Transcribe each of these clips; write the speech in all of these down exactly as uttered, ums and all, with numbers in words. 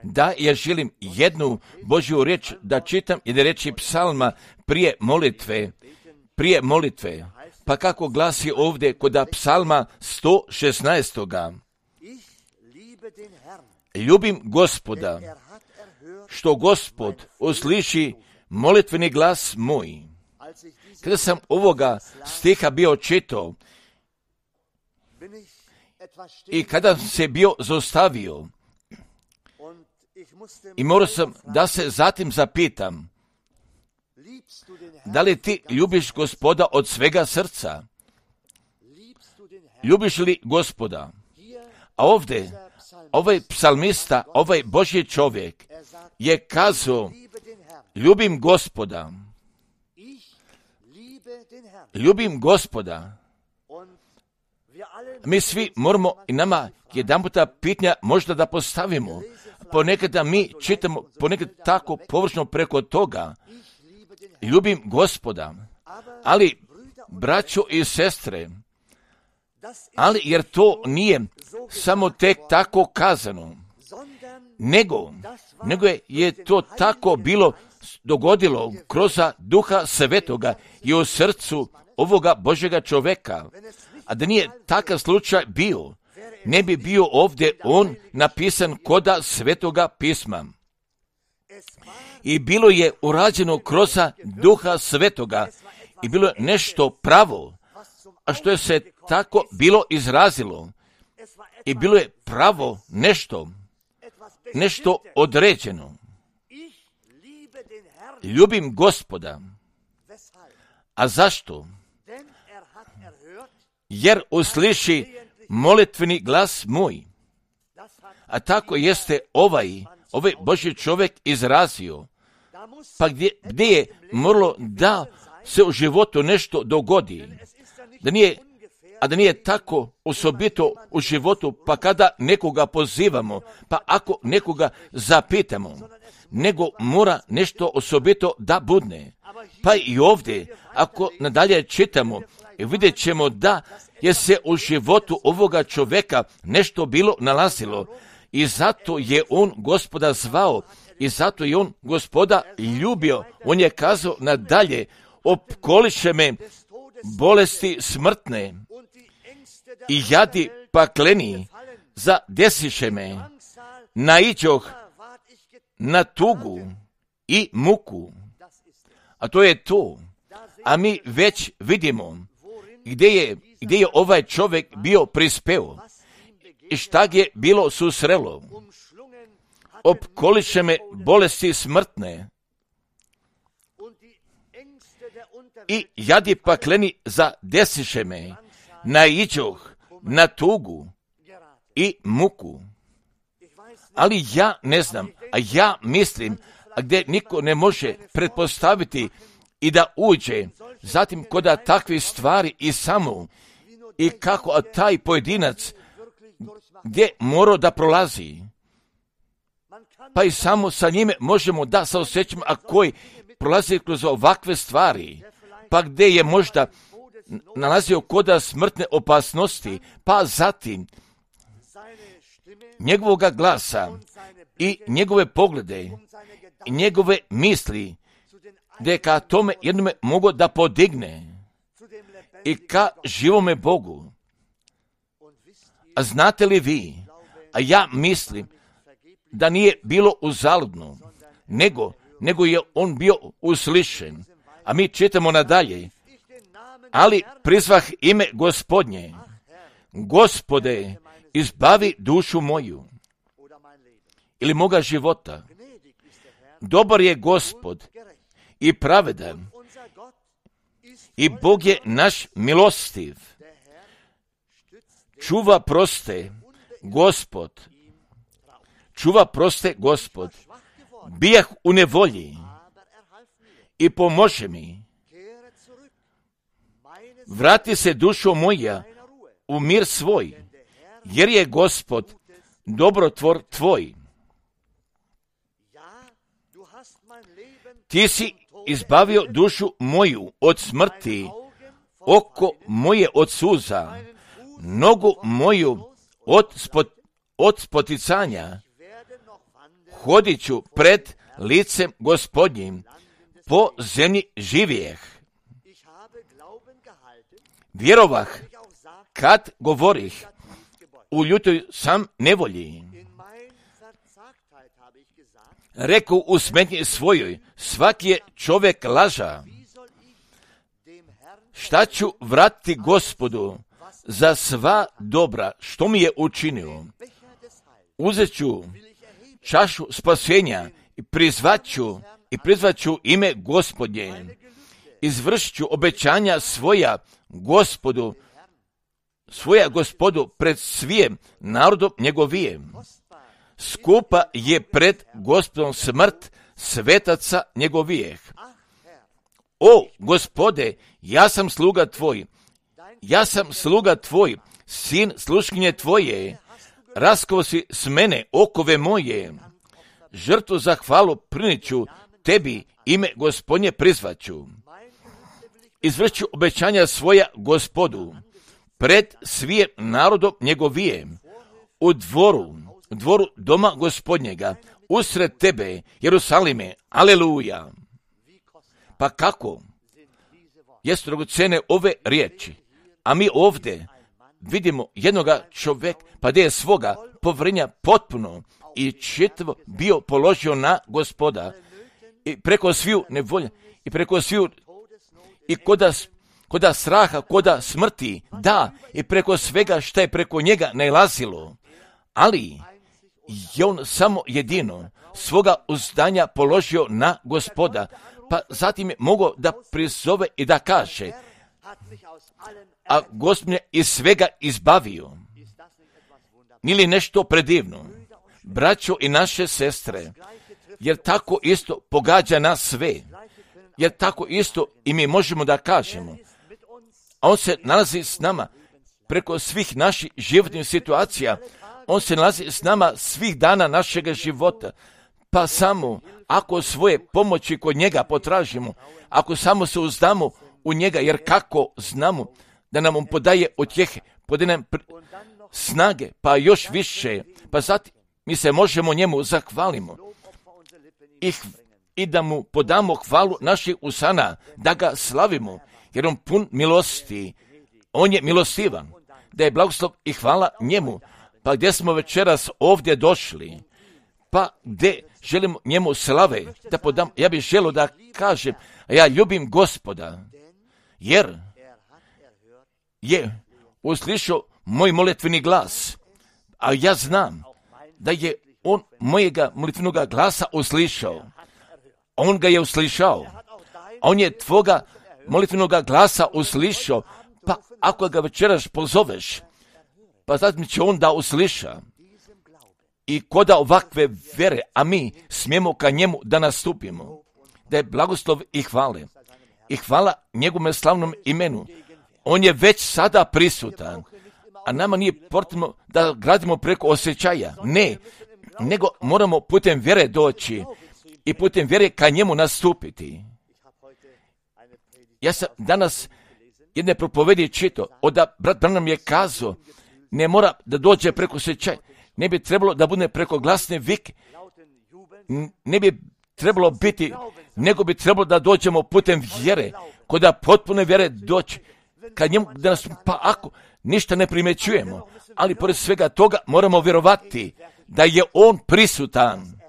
da ja želim jednu Božju riječ da čitam i da reći psalma prije molitve, prije molitve. Pa kako glasi ovdje kod psalma sto šesnaest. Ljubim Gospoda, što Gospod usliši molitveni glas moj. Kada sam ovoga stiha bio čitao i kada se bio zaustavio i morao sam da se zatim zapitam, da li ti ljubiš Gospoda od svega srca? Ljubiš li Gospoda? A ovdje, ovaj psalmista, ovaj Božji čovjek je kazao, ljubim Gospoda. Ljubim Gospoda. Mi svi moramo i nama jedan puta pitanja možda da postavimo. Ponekada mi čitamo, ponekad tako površno preko toga. Ljubim Gospoda. Ali, braćo i sestre, ali jer to nije samo tek tako kazano, nego, nego je, je to tako bilo dogodilo kroz Duha Svetoga i u srcu ovoga Božjega čoveka. A da nije takav slučaj bio, ne bi bio ovdje on napisan koda Svetoga pisma. I bilo je urađeno kroz Duha Svetoga i bilo je nešto pravo, a što je se tako bilo izrazilo. I bilo je pravo nešto, nešto određeno. Ljubim Gospoda. A zašto? Jer usliši molitveni glas moj. A tako jeste ovaj, ovaj Božji čovjek izrazio. Pa gdje, gdje je moralo da se u životu nešto dogodi, da nije, a da nije tako osobito u životu, pa kada nekoga pozivamo, pa ako nekoga zapitamo, nego mora nešto osobito da budne. Pa i ovdje, ako nadalje čitamo, vidjet ćemo da je se u životu ovoga čovjeka nešto bilo nalazilo i zato je on Gospoda zvao i zato je on Gospoda ljubio. On je kazao nadalje, opkoliše me bolesti smrtne i jadi pakleni zadesiše me, naiđoh na tugu i muku. A to je to. A mi već vidimo gdje je, gdje je ovaj čovjek bio prispeo i šta je bilo susrelo. Opkoliše me bolesti smrtne i jadi pakleni zadesiše me, naiđoh na tugu i muku. Ali ja ne znam, a ja mislim, a gdje niko ne može pretpostaviti i da uđe, zatim koda takve stvari i samo, i kako a taj pojedinac gdje mora da prolazi, pa i samo sa njime možemo da se osjećamo, a koji prolazi kroz ovakve stvari, pa gdje je možda nalazio koda smrtne opasnosti, pa zatim njegovoga glasa i njegove poglede i njegove misli, gdje ka tome jednome mogu da podigne i ka živome Bogu. A znate li vi, a ja mislim da nije bilo uzaludno, nego, nego je on bio uslišen. A mi čitamo nadalje, ali prizvah ime Gospodnje, Gospode, izbavi dušu moju ili moga života. Dobar je Gospod i pravedan i Bog je naš milostiv. Čuva proste Gospod. Čuva proste Gospod. Bijah u nevolji i pomože mi. Vrati se dušo moja u mir svoj, jer je Gospod dobrotvor tvoj. Ti si izbavio dušu moju od smrti, oko moje od suza, nogu moju od, spot, od spoticanja. hodit ću pred licem Gospodnjim po zemlji živijeh. Vjerovah kad govorih, u ljutoj sam nevolji. Reku u smetnji svojoj, svaki je čovjek laža. Šta ću vratiti Gospodu za sva dobra što mi je učinio? Uzet ću čašu spasenja i prizvaću i prizvaću ime Gospodnje. Izvršit ću obećanja svoja Gospodu, svoja Gospodu pred svijem narodom njegovijem. Skupa je pred Gospodom smrt svetaca njegovijeh. O Gospode, ja sam sluga tvoj, ja sam sluga tvoj, sin sluškinje tvoje, raskao si s mene okove moje, žrtvu za hvalu priniću tebi, ime Gospodnje prizvaću. Izvršću obećanja svoja Gospodu, pred svijem narodom njegovijem, u dvoru, u dvoru doma Gospodnjega, usred tebe, Jerusalime, aleluja. Pa kako? Jesu dragocene ove riječi, a mi ovdje vidimo jednoga čovjeka, pa da je svoga povjerenja potpuno i čitavo bio položio na Gospoda i preko sviju nevolje i preko sviju i koda, koda straha, koda smrti, da, i preko svega što je preko njega nailazilo, ali je on samo jedino svoga uzdanja položio na Gospoda, pa zatim je mogao da prizove i da kaže, a Gospod me iz svega izbavio. Nije li nešto predivno? Braćo i naše sestre, jer tako isto pogađa nas sve, jer tako isto i mi možemo da kažemo, a on se nalazi s nama preko svih naših životnih situacija, on se nalazi s nama svih dana našega života, pa samo ako svoje pomoći kod njega potražimo, ako samo se uzdamo u njega, jer kako znamo da nam on podaje utjehe, podaje nam snage, pa još više, pa zatim mi se možemo njemu zahvalimo i, i da mu podamo hvalu naših usana, da ga slavimo, jer on pun milosti, on je milostivan, da je blagoslov i hvala njemu. Pa gdje smo večeras ovdje došli, pa gdje želimo njemu slave da podam, ja bih želio da kažem, ja ljubim Gospoda, jer je uslišao moj molitveni glas, a ja znam da je on mojega molitvenog glasa uslišao. On ga je uslišao. On je tvoga molitvenog glasa uslišao, pa ako ga večeras pozoveš, pa zatim će on da usliša. I koda ovakve vere, a mi smijemo ka njemu da nastupimo, da je blagoslov i hvale. I hvala njegovom slavnom imenu. On je već sada prisutan, a nama nije potrebno da gradimo preko osjećaja. Ne, nego moramo putem vjere doći i putem vjere ka njemu nastupiti. Ja sam danas jedne propovedi čitao, oda brat Branham je kazao, ne mora da dođe preko osjećaja, ne bi trebalo da bude preko glasne vike, ne bi trebalo biti, nego bi trebalo da dođemo putem vjere, koda potpune vjere doći, kad njemu da nas, pa ako ništa ne primjećujemo, ali pored svega toga moramo vjerovati da je on prisutan,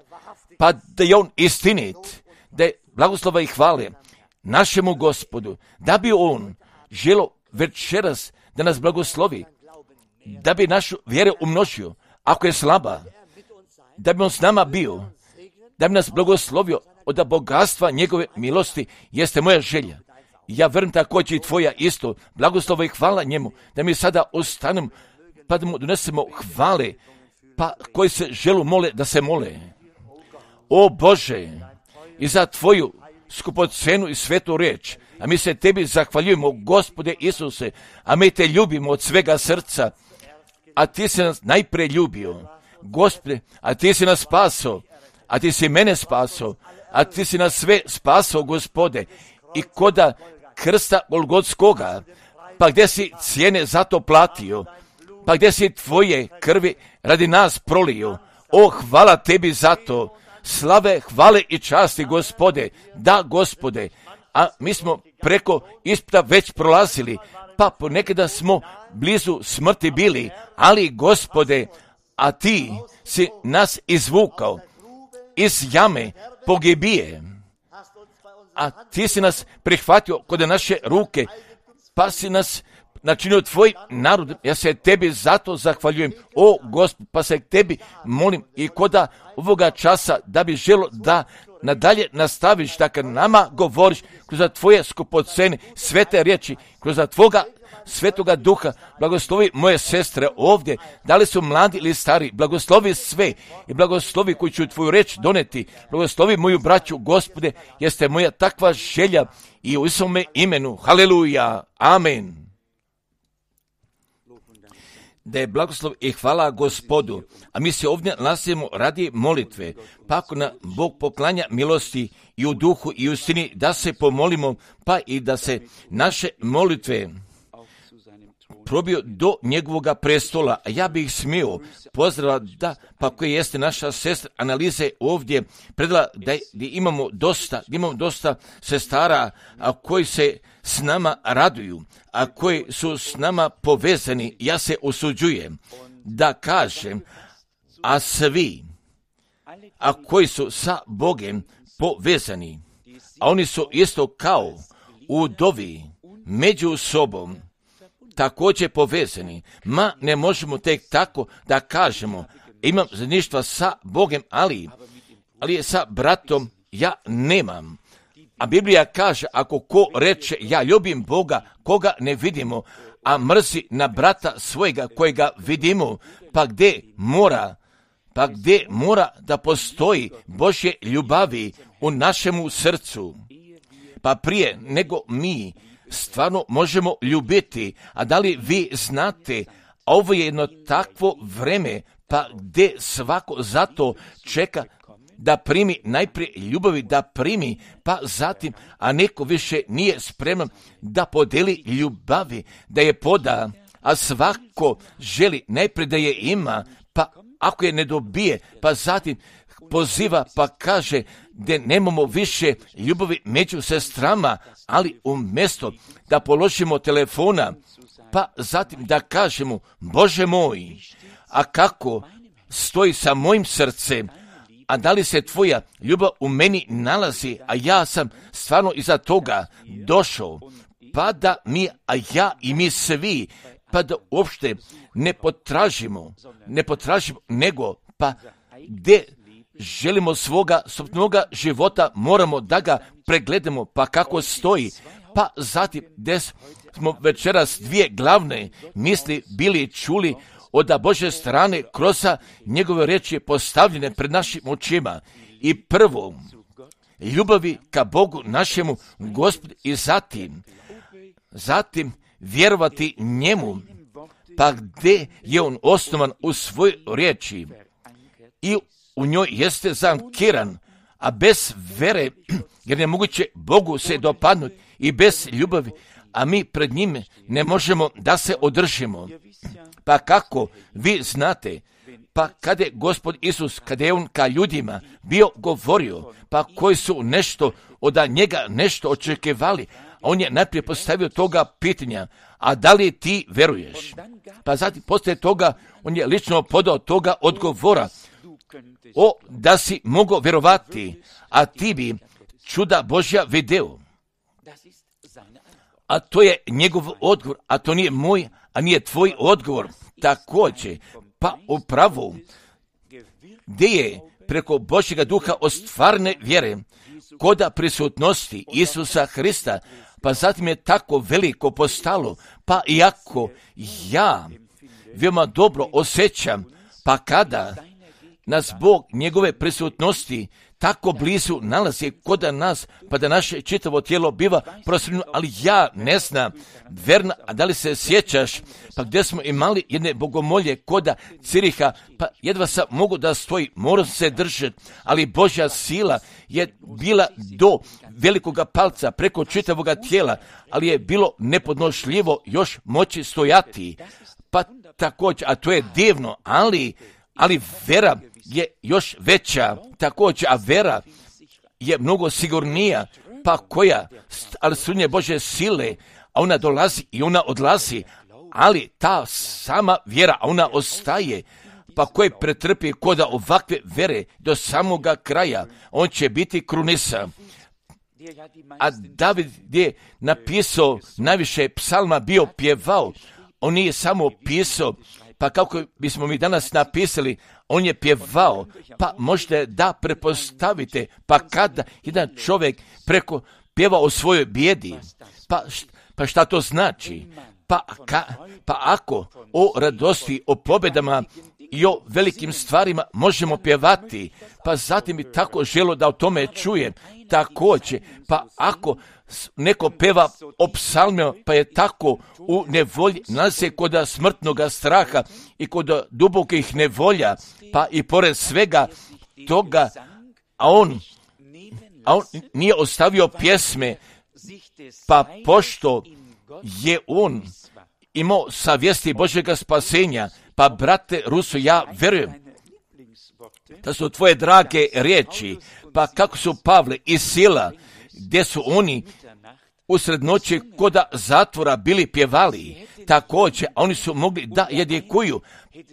pa da je on istinit, da je blagoslova i hvale našemu Gospodu, da bi on želo večeras da nas blagoslovi, da bi našu vjeru umnožio, ako je slaba, da bi on s nama bio, da bi nas blagoslovio od bogatstva njegove milosti, jeste moja želja. Ja vjerujem također i tvoja isto, blagoslova i hvala njemu, da mi sada ostanemo, pa da mu donesemo hvale, pa koji se želu mole da se mole. O Bože, i za tvoju skupocenu i svetu riječ, a mi se tebi zahvaljujemo, Gospode Isuse, a mi te ljubimo od svega srca, a ti si nas najprije ljubio, Gospode, a ti si nas spasao, a ti si mene spasao, a ti si nas sve spasao, Gospode, i koda krsta Golgotskoga, pa gdje si cijene za to platio, pa gdje si tvoje krvi radi nas prolio, O, hvala tebi za to. Slave, hvale i časti, Gospode. Da, Gospode. A mi smo preko ispita već prolazili, pa ponekada smo blizu smrti bili, ali, Gospode, a ti si nas izvukao iz jame pogibije, a ti si nas prihvatio kod naše ruke, pa si nas načinio tvoj narod. Ja se tebi zato zahvaljujem, o Gospod, pa se tebi molim i koda ovoga časa da bi želo da nadalje nastaviš da kad nama govoriš kroz tvoje skupocene svete riječi, kroz tvoga Svetoga Duha. Blagoslovi moje sestre ovdje, da li su mladi ili stari, blagoslovi sve i blagoslovi koji ću tvoju reč doneti. Blagoslovi moju braću, Gospode, jeste moja takva želja i u Isuse imenu. Haleluja, amen. Da je blagoslov i hvala Gospodu, a mi se ovdje nalazimo radi molitve, pa ako nam Bog poklanja milosti i u duhu i u istini da se pomolimo, pa i da se naše molitve probio do njegovoga prestola, a ja bih smio pozdrava da, pa koji jeste naša sestra Analize ovdje predala da, da imamo dosta, da imamo dosta sestara a koji se s nama raduju, a koji su s nama povezani. Ja se usuđujem da kažem, a svi, a koji su sa Bogem povezani, a oni su isto kao u dovi među sobom također povezani. Ma ne možemo tek tako da kažemo, imam zajedništva sa Bogem, ali, ali je sa bratom ja nemam. A Biblija kaže, ako ko reče, ja ljubim Boga, koga ne vidimo, a mrzi na brata svojega kojega vidimo, pa gdje mora, pa gdje mora da postoji Božje ljubavi u našemu srcu. Pa prije nego mi stvarno možemo ljubiti, a da li vi znate, ovo je jedno takvo vreme, pa gdje svako zato čeka da primi najprije ljubavi, da primi, pa zatim, a neko više nije spreman da podeli ljubavi, da je poda, a svako želi najprije da je ima, pa ako je ne dobije, pa zatim poziva, pa kaže da nemamo više ljubavi među sestrama, ali umjesto da položimo telefona, pa zatim da kažemo, Bože moj, a kako stoji sa mojim srcem, a da li se tvoja ljubav u meni nalazi, a ja sam stvarno iza toga došao, pa da mi, a ja i mi svi, pa da uopšte ne potražimo, ne potražimo, nego pa gdje želimo svoga sopnoga života, moramo da ga pregledamo, pa kako stoji, pa zatim gdje smo večeras dvije glavne misli bili čuli od Božje strane kroz njegove riječi postavljene pred našim očima. I prvo, ljubavi ka Bogu našemu Gospodu i zatim, zatim vjerovati njemu, pa gdje je on osnovan u svojoj riječi i u njoj jeste zankiran, a bez vere, jer je moguće Bogu se dopadnuti, i bez ljubavi, a mi pred njime ne možemo da se održimo. Pa kako vi znate, pa kada je Gospod Isus, kada je on ka ljudima bio govorio, pa koji su nešto od njega nešto očekivali, on je najprije postavio toga pitanja, a da li ti veruješ? Pa zatim poslije toga on je lično podao toga odgovora, o da si mogao vjerovati, a ti bi čuda Božja video. A to je njegov odgovor, a to nije moj, a nije tvoj odgovor. Također, pa upravo, gdje je preko Božjega duha ostvarne vjere, koda prisutnosti Isusa Hrista, pa zatim je tako veliko postalo, pa iako ja veoma dobro osjećam, pa kada nas Bog njegove prisutnosti tako blizu nalazi kod nas, pa da naše čitavo tijelo biva prosvjetljeno, ali ja ne znam, Verna, a da li se sjećaš, pa gdje smo imali jedne bogomolje koda Ciriha, pa jedva sam mogu da stoji, moram se držati, ali Božja sila je bila do velikoga palca preko čitavoga tijela, ali je bilo nepodnošljivo još moći stojati, pa također, a to je divno, ali, ali vera je još veća, također, a vera je mnogo sigurnija, pa koja, ali su nje Bože sile, a ona dolazi i ona odlazi, ali ta sama vjera, a ona ostaje, pa koji pretrpi koda ovakve vere do samoga kraja, on će biti krunisan. A David je napisao najviše psalma, bio pjevao, on nije samo pisao, pa kako bismo mi danas napisali, on je pjevao, pa možete da prepostavite, pa kada jedan čovjek preko pjeva o svojoj bijedi, pa, pa šta to znači? Pa, ka, pa ako o radosti, o pobjedama i o velikim stvarima možemo pjevati, pa zatim bi tako želo da o tome čujem, također, pa ako neko peva o psalmima, pa je tako u nevolji, nalazi kod smrtnoga straha i kod dubokih nevolja, pa i pored svega toga, a on, a on nije ostavio pjesme, pa pošto je on imao savjesti Božjega spasenja, pa brate Ruso, ja verujem da su tvoje drage riječi, pa kako su Pavle i Sila, gdje su oni usred noći koda zatvora bili pjevali, također, a oni su mogli da jedikuju,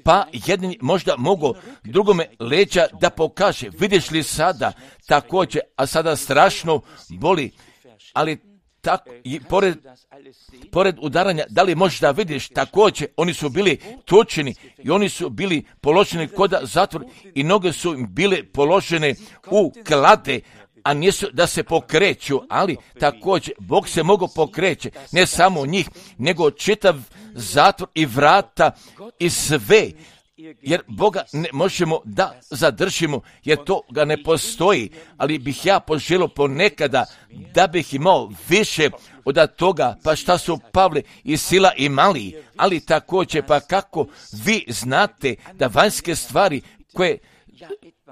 pa jedan možda mogu drugome leđa da pokaže, vidiš li sada, također, a sada strašno boli, ali tako, i pored, pored udaranja, da li možeš da vidiš, također, oni su bili tučeni i oni su bili položeni koda zatvor i noge su im bile položene u klade, a nisu da se pokreću, ali također Bog se mogu pokreće, ne samo njih, nego čitav zatvor i vrata i sve, jer Boga ne možemo da zadržimo, jer to ga ne postoji, ali bih ja poželio ponekada da bih imao više od toga, pa šta su Pavle i Sila imali, ali također, pa kako vi znate da vanjske stvari koje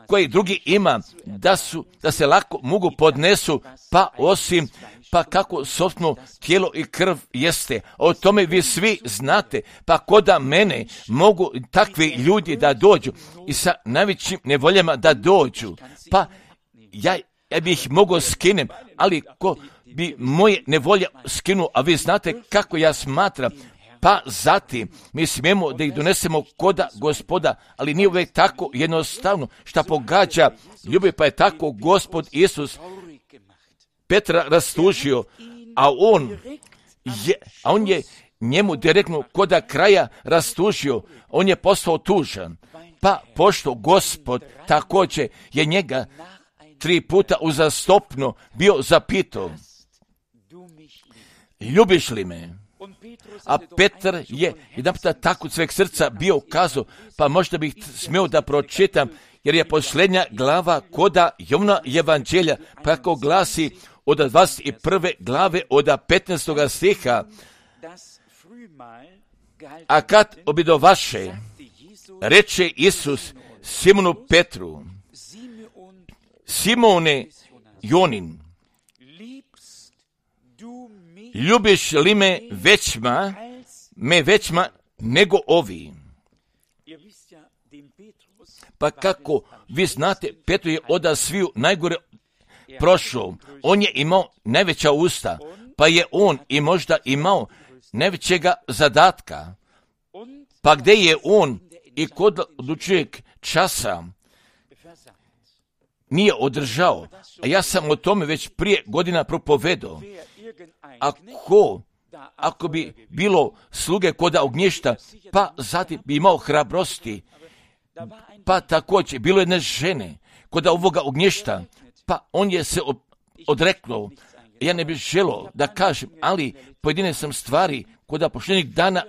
koji drugi ima, da su, da se lako mogu podnesu, pa osim, pa kako sopstveno tijelo i krv jeste. O tome vi svi znate, pa koda mene mogu takvi ljudi da dođu i sa najvećim nevoljama da dođu, pa ja, ja bih ih mogao skinem, ali ko bi moje nevolje skinuo, a vi znate kako ja smatram, pa zatim mi smijemo da ih donesemo koda Gospoda, ali nije uvijek tako jednostavno, šta pogađa ljubav, pa je tako Gospod Isus Petra rastužio, a on je, a on je njemu direktno koda kraja rastužio, on je postao tužan, pa pošto Gospod također je njega tri puta uzastopno bio zapitao, ljubiš li me? A Petar je jedan puta tako od sveg srca bio ukazao, pa možda bih smio da pročitam, jer je posljednja glava koda Jovna evanđelja, pa kako glasi od dvadeset prve glave od petnaestoga stiha, a kad obidovaše, reče Isus Simonu Petru, Simone Jonin, ljubiš li me većma, me većma nego ovi? Pa kako vi znate, Petru je od sviju najgore prošao. On je imao najveća usta, pa je on i možda imao najvećega zadatka. Pa gdje je on i kod odlučujeg časa nije održao. A ja sam o tome već prije godina propovedao. Ako, ako bi bilo sluge koda ognjišta, pa zatim bi imao hrabrosti, pa također bilo jedne žene koda ovoga ognjišta, pa on je se odreknuo. Ja ne bih želio da kažem, ali pojedine sam stvari koda pošljenih dana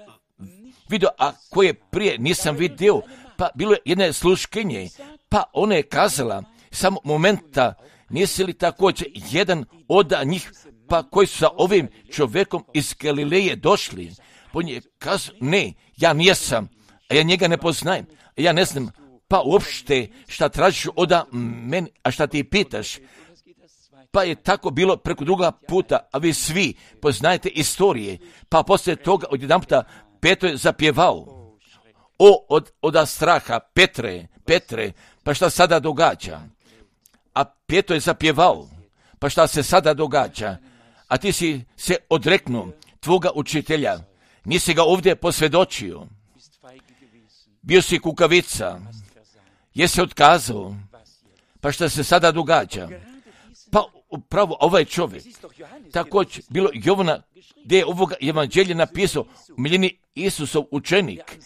vidio, a koje prije nisam vidio, pa bilo je jedne sluškinje, pa ona je kazala, samo momenta, nisi li također jedan od njih, pa koji su sa ovim čovjekom iz Galileje došli? On je kazao, ne, ja nisam, a ja njega ne poznajem, a ja ne znam, pa uopšte šta tražiš od mene, a šta ti pitaš? Pa je tako bilo preko druga puta, a vi svi poznajete istorije, pa poslije toga odjedanputa Petro je zapjevao, o, od, od straha, Petre, Petre, pa šta sada događa? A Pijetro je zapjevao, pa šta se sada događa? A ti si se odreknuo tvoga učitelja, nisi ga ovdje posvjedočio, bio si kukavica, jesi otkazao, pa šta se sada događa? Pa upravo ovaj čovjek, također bilo Jovana, gdje je ovoga evanđelja napisao, miljeni Isusov učenik,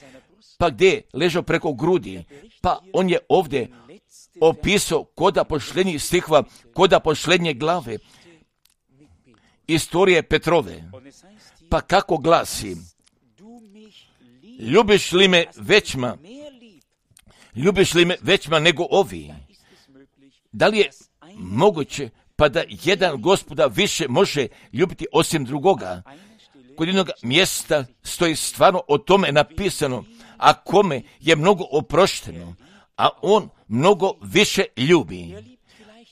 pa gdje je ležao preko grudi, pa on je ovdje opisao koda posljednjih stihova, koda posljednje glave, istorije Petrove, pa kako glasi, ljubiš li me većma, ljubiš li me većma nego ovi? Da li je moguće pa da jedan Gospoda više može ljubiti osim drugoga? Kod jednog mjesta stoji stvarno o tome napisano, a kome je mnogo oprošteno, a on mnogo više ljubi.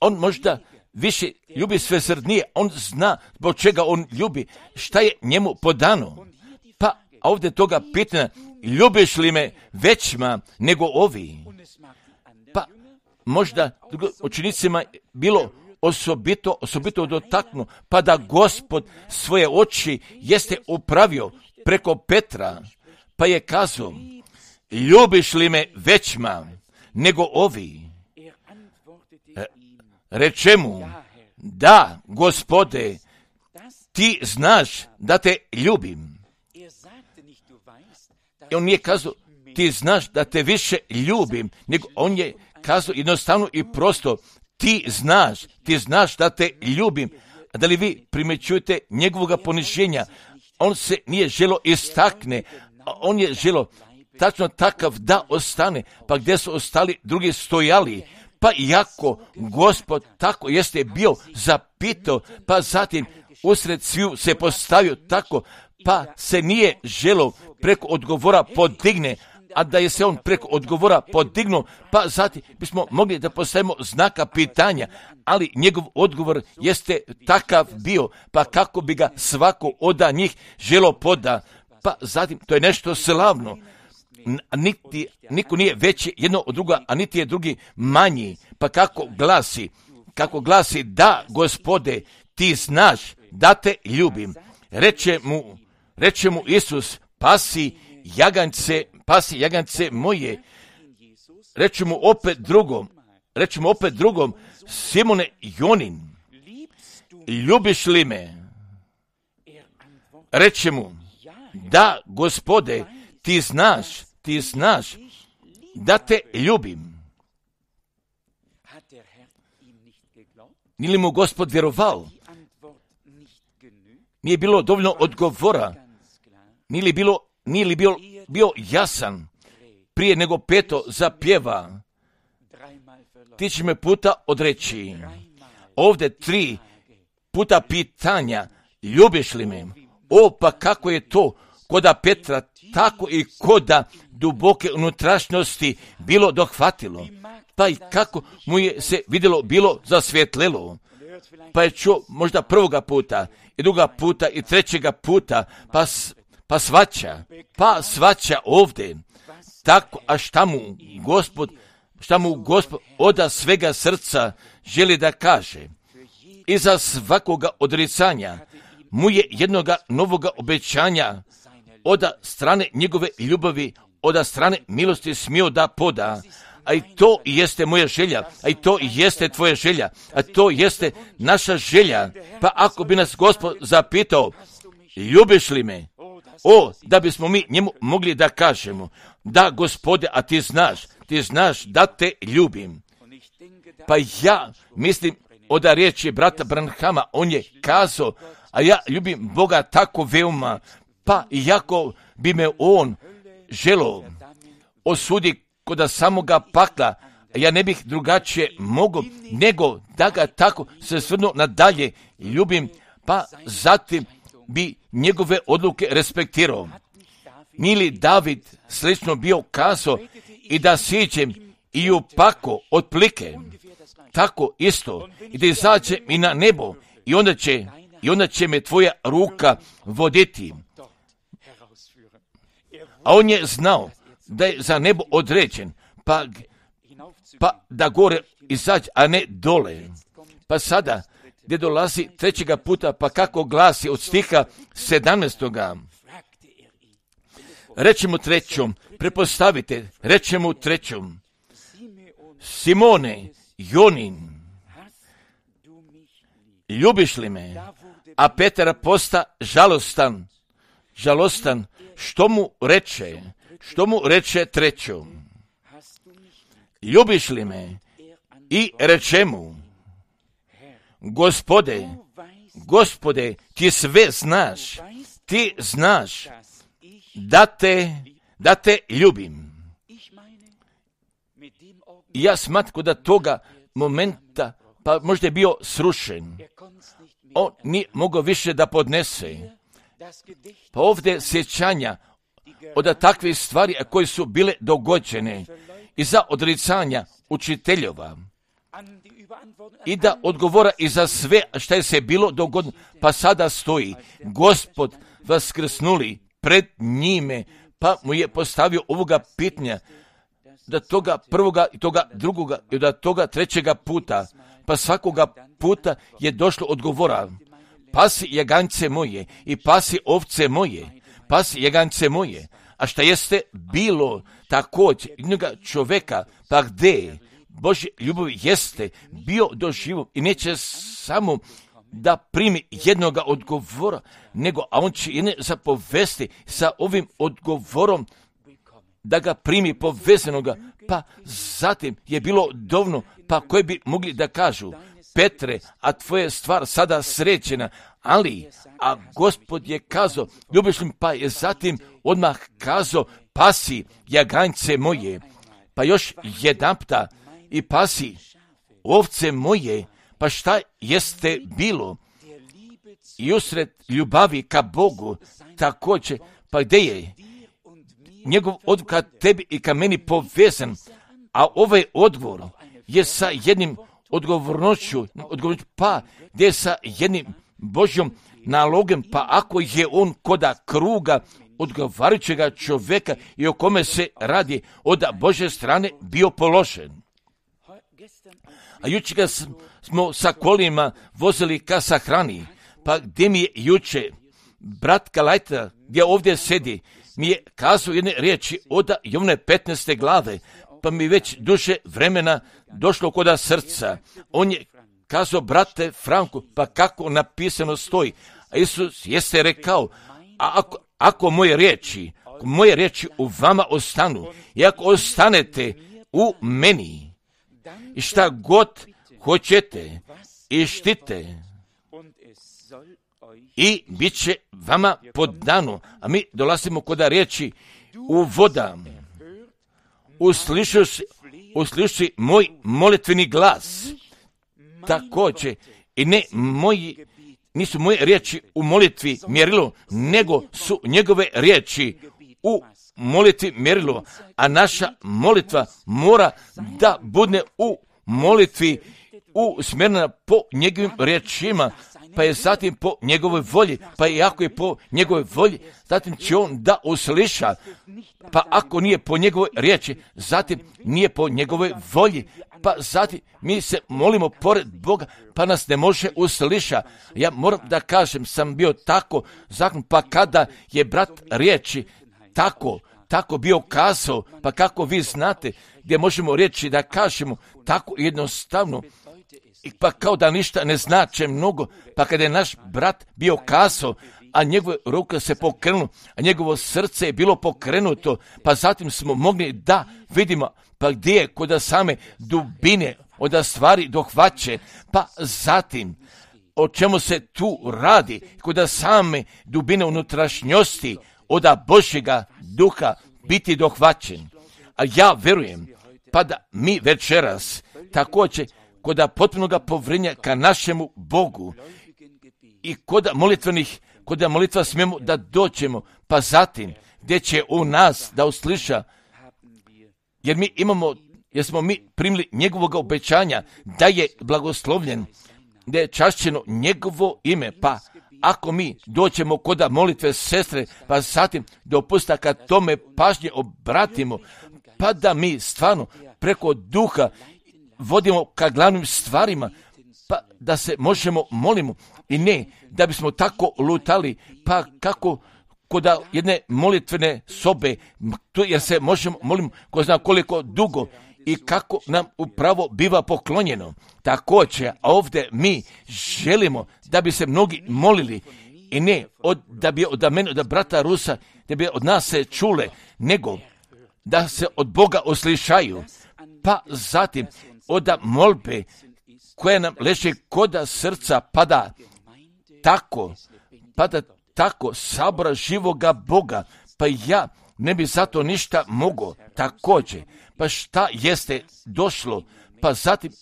On možda više ljubi svesrdnije, on zna zbog čega on ljubi, šta je njemu podano. Pa ovdje toga pitanja, ljubiš li me većma nego ovi? Pa možda učenicima bilo osobito, osobito dotaknu, pa da Gospod svoje oči jeste upravio preko Petra, pa je kazao, ljubiš li me većma nego ovi? Reče mu, da, Gospode, ti znaš da te ljubim. I on nije kazao, ti znaš da te više ljubim, nego on je kazao jednostavno i prosto, ti znaš, ti znaš da te ljubim. A da li vi primjećujete njegovoga poniženja? On se nije želo istakne, a on je želo tačno takav da ostane, pa gdje su ostali drugi stojali, pa iako Gospod tako jeste bio zapitao, pa zatim usred sviju se postavio tako, pa se nije želo preko odgovora podigne, a da je se on preko odgovora podignuo, pa zatim bismo mogli da postavimo znaka pitanja, ali njegov odgovor jeste takav bio, pa kako bi ga svako oda njih želo poda, pa zatim to je nešto slavno. Niti, niko nije veći jedno od druga, a niti je drugi manji, pa kako glasi, kako glasi, da, Gospode, ti znaš da te ljubim. Reče mu, reče mu Isus, pasi jagance, pasi jagance moje. Reče mu opet drugom, reče mu opet drugom, Simone Jonin, ljubiš li me? Reče mu, da, Gospode, ti znaš, ti znaš da te ljubim. Nije li mu Gospod vjerovao? Nije bilo dovoljno odgovora? Nije li bilo, nije li bio, bio jasan prije nego Peto zapjeva? Ti će me puta odreći. Ovdje tri puta pitanja, ljubiš li me? O, pa kako je to koda Petra, tako i koda duboke unutrašnjosti bilo dohvatilo. Pa i kako mu je se vidjelo, bilo zasvjetlelo. Pa je čuo možda prvoga puta, i druga puta, i trećega puta, pa, pa svaća, pa svaća ovdje. Tako, a šta mu Gospod, šta mu Gospod oda svega srca želi da kaže? Iza svakoga odricanja mu je jednoga novoga obećanja oda strane njegove ljubavi, oda strane milosti smio da poda. A i to jeste moja želja, a i to jeste tvoja želja, a to jeste naša želja. Pa ako bi nas Gospod zapitao, ljubiš li me? O, da bismo mi njemu mogli da kažemo, da, Gospode, a ti znaš, ti znaš da te ljubim. Pa ja mislim od riječi brata Branhama, on je kazao, a ja ljubim Boga tako veoma, pa iako bi me on želo osudi kod samoga pakla, ja ne bih drugačije mogao, nego da ga tako se svrnuo nadalje ljubim, pa zatim bi njegove odluke respektirao. Nije li David slično bio kazao i da siđem i u pako od plike, tako isto i da izađem i na nebo i onda će, i onda će me tvoja ruka voditi. A on je znao da je za nebo određen, pa pa da gore izađe, a ne dole. Pa sada, gdje dolazi trećega puta, pa kako glasi od stiha sedamnaestoga. Reče mu trećom, prepostavite, reče mu trećom, Simone, Jonin, ljubiš li me? A Petar posta žalostan, žalostan, što mu reče, što mu reče trećom, ljubiš li me? I reče mu, Gospode, Gospode, ti sve znaš, ti znaš da te, da te ljubim. I ja smatram da toga momenta, pa možda je bio srušen. On nije mogao više da podnese. Pa ovdje sjećanja od takvih stvari koje su bile dogođene i za odricanja učiteljova i da odgovora i za sve što je se bilo dogodilo. Pa sada stoji Gospod vaskrsnuli pred njime, pa mu je postavio ovoga pitanja, da toga prvoga i toga drugoga i da toga trećega puta, pa svakoga puta je došlo odgovora. Pasi jaganjce moje i pasi ovce moje, pasi jaganjce moje. A šta jeste bilo također jednoga čoveka, pa gdje Božje ljubavi jeste bio doživo i neće samo da primi jednoga odgovora, nego a on će jedne zapovesti sa ovim odgovorom da ga primi povezanoga, pa zatim je bilo dovoljno, pa koji bi mogli da kažu, Petre, a tvoja stvar sada srećena, ali, a Gospod je kazao, ljubiš li, pa je zatim odmah kazao, pasi jaganjce moje, pa još jedanpta i pasi ovce moje, pa šta jeste bilo? I usred ljubavi ka Bogu, također, pa gdje je njegov odgovor ka tebi i ka meni povezan, a ovaj odgovor je sa jednim odgovornošću, odgovornošću pa gdje je sa jednim Božjom nalogom, pa ako je on koda kruga odgovarajućega čovjeka i o kome se radi od Božje strane bio položen. A juče ga smo sa kolima vozili ka sahrani, pa gdje mi je juče brat Kalajta, gdje ovdje sedi, mi je kazao jedne riječi od Jovne petnaeste glave, pa mi već duže vremena došlo koda srca. On je kazao, brate Franku, pa kako napisano stoji, a Isus jeste rekao, a ako, ako moje riječi, ako moje riječi u vama ostanu, i ako ostanete u meni, i šta god hoćete, i štite, i bit će vama podano. A mi dolazimo koda riječi u voda. Uslišuš, usliši moj molitveni glas. Također, i ne moji, nisu moje riječi u molitvi mjerilo, nego su njegove riječi u molitvi mjerilo. A naša molitva mora da bude u molitvi usmjerena po njegovim riječima, pa je zatim po njegovoj volji, pa i ako je po njegovoj volji, zatim će on da usliša, pa ako nije po njegovoj riječi, zatim nije po njegovoj volji, pa zatim mi se molimo pored Boga, pa nas ne može usliša. Ja moram da kažem, sam bio tako zakon, pa kada je brat riječi tako, tako bio kazao, pa kako vi znate, gdje možemo reći da kažemo tako jednostavno, i pa kao da ništa ne znače mnogo, pa kada je naš brat bio kazao, a njegove ruke se pokrenulo, a njegovo srce je bilo pokrenuto, pa zatim smo mogli da vidimo, pa gdje je kod same dubine od stvari dohvaće, pa zatim o čemu se tu radi, kod same dubine unutrašnjosti od Božjega duha biti dohvaćen. A ja verujem, pa da mi večeras također kod potpunoga povjerenja ka našemu Bogu i kod molitvenih, kod molitva smijemo da dođemo, pa zatim gdje će u nas da usliša, jer mi imamo, jer smo mi primili njegovog obećanja da je blagoslovljen, da je čašćeno njegovo ime, pa ako mi dođemo kod molitve sestre, pa zatim dopusta kad tome pažnje obratimo, pa da mi stvarno preko duha vodimo ka glavnim stvarima, pa da se možemo molimo i ne da bismo tako lutali, pa kako kod jedne molitvene sobe, jer se možemo molimo ko zna koliko dugo i kako nam upravo biva poklonjeno. Također, a ovdje mi želimo da bi se mnogi molili i ne od, da bi od mene, od brata Rusa, da bi od nas se čule, nego da se od Boga oslišaju, pa zatim od molbe koja nam leže koda srca pada tako, pada tako sabora živoga Boga, pa ja ne bi zato ništa mogao. Također, pa šta jeste došlo, pa zatim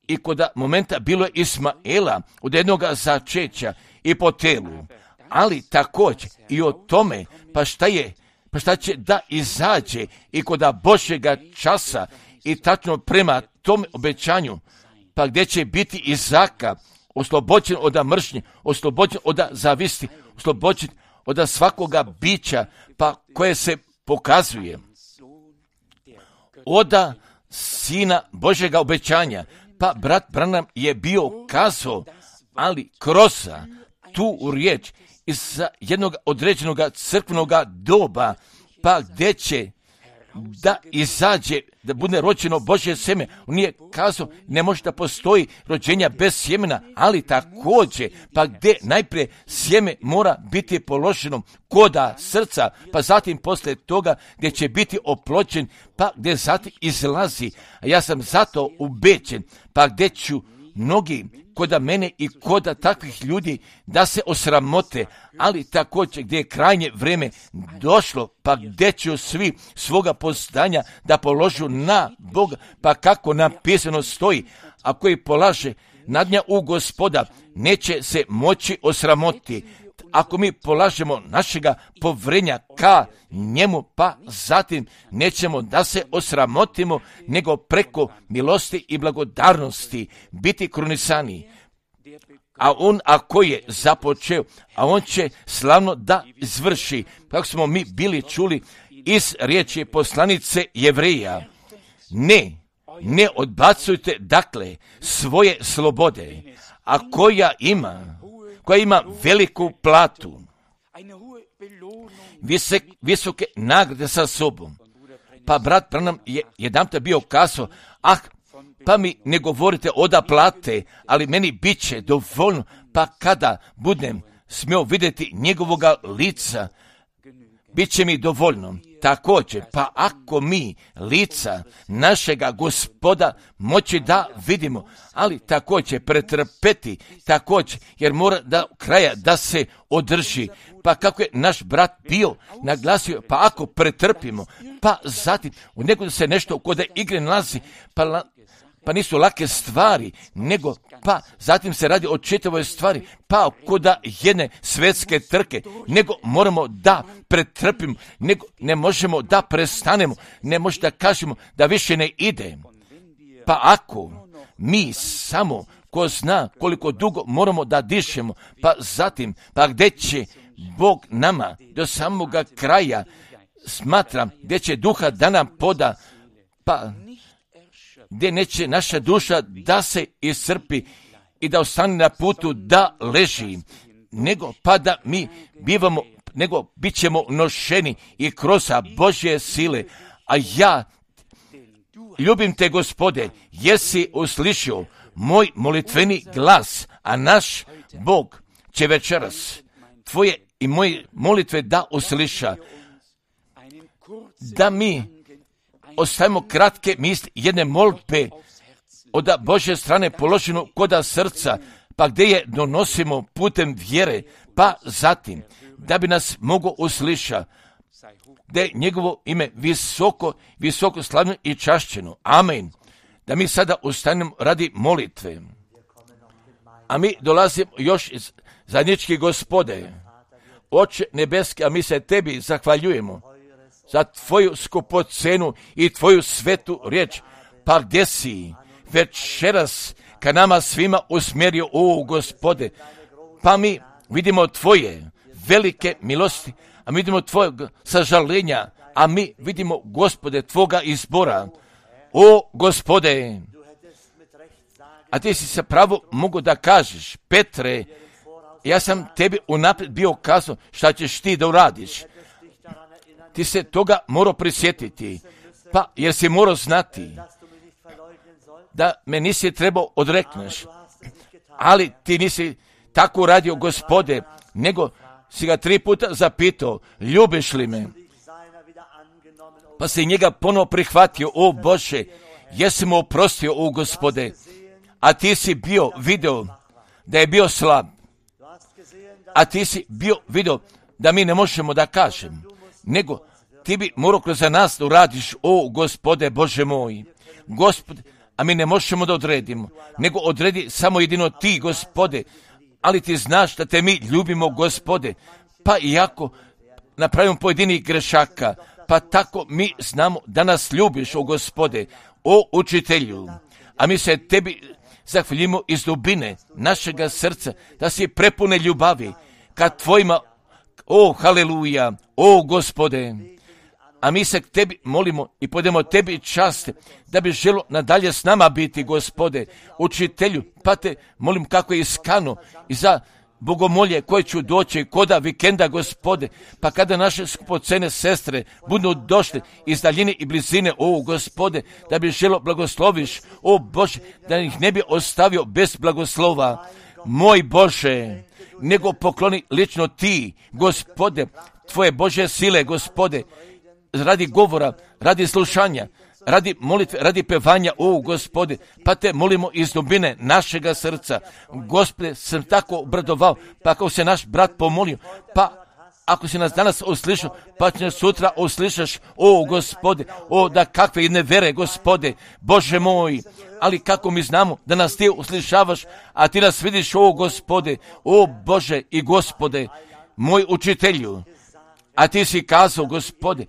i kod momenta bilo je Ismaela od jednoga začeća i po telu, ali također i o tome, pa šta je, pa šta će da izađe i kod Božjega časa i tačno prema tom obećanju, pa gdje će biti Izaka oslobođen od mržnje, oslobođen od zavisti, oslobođen od svakoga bića, pa koje se pokazuje od Sina Božjega obećanja. Pa brat Branham je bio kazao, ali kroz tu riječ iz jednog određenog crkvenog doba, pa gdje će da izađe, da bude rođeno Božje sjeme. On nije kazao, ne može da postoji rođenja bez sjemena, ali također, pa gdje najprije sjeme mora biti položeno koda srca, pa zatim poslije toga gdje će biti oplođen, pa gdje zatim izlazi. A ja sam zato ubeđen, pa gdje ću mnogi koda mene i koda takvih ljudi da se osramote, ali također gdje je krajnje vrijeme došlo, pa gdje će svi svoga postanja da položu na Boga, pa kako napisano stoji, a koji polaže nadnja u Gospoda, neće se moći osramoti. Ako mi polažemo našega povrenja ka njemu, pa zatim nećemo da se osramotimo, nego preko milosti i blagodarnosti biti krunisani. A on ako je započeo, a on će slavno da izvrši, kako smo mi bili čuli iz riječi poslanice Jevreja. Ne, ne odbacujte dakle svoje slobode, a koja ima, koja ima veliku platu, visok, visoke nagrade sa sobom. Pa brat Branham je jedanput bio kazao, ah, pa mi ne govorite oda plate, ali meni bit će dovoljno, pa kada budem smio vidjeti njegovoga lica, bit će mi dovoljno. Također, pa ako mi lica našega Gospoda moći da vidimo, ali također pretrpeti, također, jer mora da kraja da se održi. Pa kako je naš brat bio naglasio, pa ako pretrpimo, pa zatim u nekog se nešto kod igre nalazi, pa la, pa nisu lake stvari, nego pa zatim se radi o čitavoj stvari, pa kod jedne svetske trke, nego moramo da pretrpimo, nego ne možemo da prestanemo, ne možemo da kažemo da više ne ide. Pa ako mi samo, ko zna koliko dugo moramo da dišemo, pa zatim, pa gdje će Bog nama do samoga kraja, smatram, gdje će duha da nam poda, pa gdje neće naša duša da se iscrpi i da ostane na putu da leži, nego pa da mi bivamo, nego bit ćemo nošeni i kroz Božje sile. A ja ljubim te, Gospode, jesi uslišio moj molitveni glas, a naš Bog će večeras tvoje i moje molitve da usliša, da mi ostavimo kratke misli, jedne molitve od Božje strane položenu koda srca, pa gdje je donosimo putem vjere, pa zatim da bi nas mogo usliša, da je njegovo ime visoko, visoko slavno i čašćeno. Amen. Da mi sada ustanemo radi molitve. A mi dolazimo još iz zajednički, Gospode, Oče nebeski, a mi se tebi zahvaljujemo za tvoju skupocenu i tvoju svetu riječ, pa gdje si večeras ka nama svima usmjerio, o Gospode, pa mi vidimo tvoje velike milosti, a mi vidimo tvojeg sažalenja, a mi vidimo, Gospode, tvoga izbora, o Gospode, a ti si sa pravo mogu da kažeš, Petre, ja sam tebi unaprijed bio kazao šta ćeš ti da uradiš. Ti se toga morao prisjetiti, pa jer si morao znati da me nisi trebao odrekneš, ali ti nisi tako uradio, Gospode, nego si ga tri puta zapitao, ljubiš li me? Pa si njega ponovo prihvatio, o Bože, jesi mu oprostio, o Gospode, a ti si bio video da je bio slab, a ti si bio video da mi ne možemo da kažem, nego ti bi morao kroz nas da uradiš, o Gospode Bože moj, Gospode, a mi ne možemo da odredimo, nego odredi samo jedino ti, Gospode, ali ti znaš da te mi ljubimo, Gospode, pa iako napravimo pojedinih grešaka, pa tako mi znamo da nas ljubiš, o Gospode, o Učitelju, a mi se tebi zahvaljujemo iz dubine našega srca, da si prepune ljubavi ka tvojima, o haleluja, o Gospode, a mi se k tebi molimo i podemo tebi čast, da bi želo nadalje s nama biti, Gospode, Učitelju, pa te molim kako je iskano i za bogomolje koje ću doći koda vikenda, Gospode, pa kada naše skupocene sestre budu došle iz daljine i blizine, o Gospode, da bi želo blagosloviš, o Bože, da ih ne bi ostavio bez blagoslova, moj Bože, nego pokloni lično ti, Gospode, tvoje Božje sile, Gospode, radi govora, radi slušanja, radi molitve, radi pevanja, o Gospode, pa te molimo iz dubine našega srca. Gospode, sam tako obradovao, pa ako se naš brat pomolio, pa ako si nas danas uslišao, pa će nas sutra uslišaš, o Gospode, o da kakve jedne vere, Gospode, Bože moj, ali kako mi znamo da nas ti uslišavaš, a ti nas vidiš, o Gospode, o Bože i Gospode, moj Učitelju, a ti si kazao, Gospode,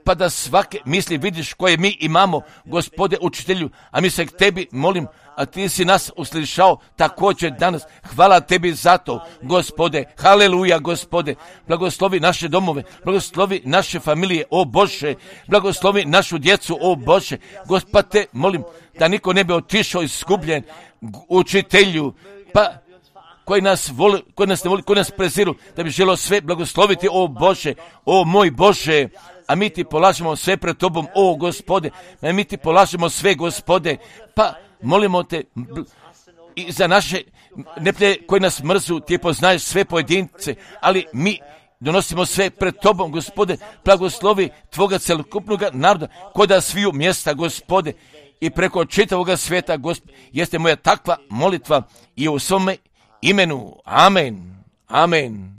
pa da svake misli vidiš koje mi imamo, Gospode Učitelju, a mi se k tebi molim, a ti si nas uslišao također danas. Hvala tebi za to, Gospode, haleluja, Gospode, blagoslovi naše domove, blagoslovi naše familije, o Bože, blagoslovi našu djecu, o Bože, Gospod te molim da niko ne bi otišao iskupljen, Učitelju, pa koji nas voli, koji nas ne voli, koji nas preziru, da bi želio sve blagosloviti, o Bože, o moj Bože, a mi ti polažemo sve pred tobom, o Gospode, a mi ti polažemo sve, Gospode, pa molimo te i za naše neprijatelje koji nas mrzu, ti poznaješ sve pojedince, ali mi donosimo sve pred tobom, Gospode, blagoslovi tvoga celokupnog naroda, koda sviju mjesta, Gospode, i preko čitavoga svijeta, Gospode, jeste moja takva molitva i u svome imenu. Amen. Amen.